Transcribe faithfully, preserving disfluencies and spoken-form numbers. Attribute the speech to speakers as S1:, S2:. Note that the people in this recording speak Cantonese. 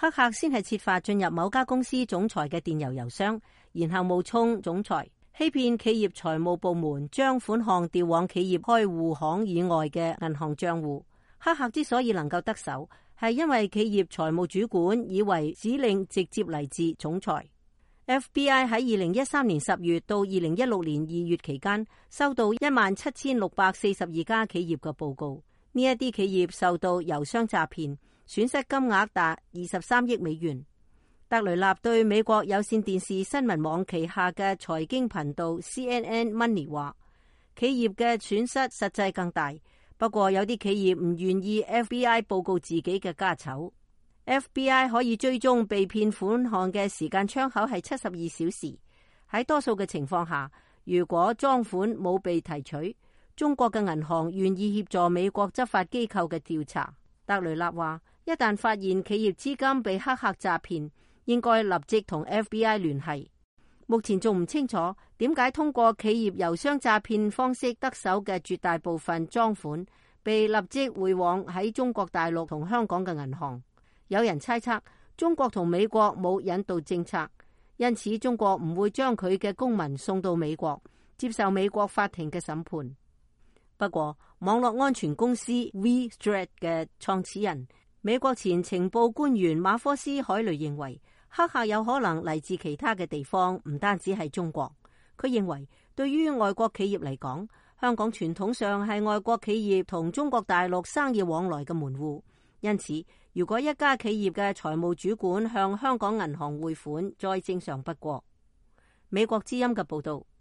S1: 黑客先係設法進入某家公司總裁嘅電郵郵箱，然後冒充總裁，欺騙企業財務部門將款項調往企業開戶行以外嘅銀行賬戶。黑客之所以能夠得手，係因為企業財務主管以為指令直接嚟自總裁。F B I 喺二零一三年十月到二零一六年二月期間，收到一萬七千六百四十二家企業嘅報告，呢一啲企業受到郵箱詐騙，損失金額達二十三億美元。特雷納對美國有線電視新聞網旗下嘅財經頻道 C N N Money 話，企業嘅損失實際更大，不過有啲企業唔願意 F B I 報告自己嘅家醜。F B I 可以追蹤被騙款項嘅時間窗口係七十二小時。喺多數嘅情況下，如果贓款冇被提取，中國嘅銀行願意協助美國執法機構嘅調查。特雷納話，一旦發現企業資金被黑客詐騙，應該立即同 F B I 聯繫。目前仲唔清楚點解通過企業郵箱詐騙方式得手嘅絕大部分贓款被立即匯往喺中國大陸同香港嘅銀行。有人猜測中國同美國冇引渡政策，因此中國唔會將佢嘅公民送到美國接受美國法庭嘅審判。不過，網絡安全公司 VThreat 嘅創始人、美國前情報官員馬科斯·海雷認為，黑客有可能嚟自其他嘅地方，唔單止係中國。佢認為，對於外國企業嚟講，香港傳統上係外國企業同中國大陸生意往來嘅門戶。因此，如果一家企業嘅財務主管向香港銀行匯款，再正常不過。美國之音嘅報道。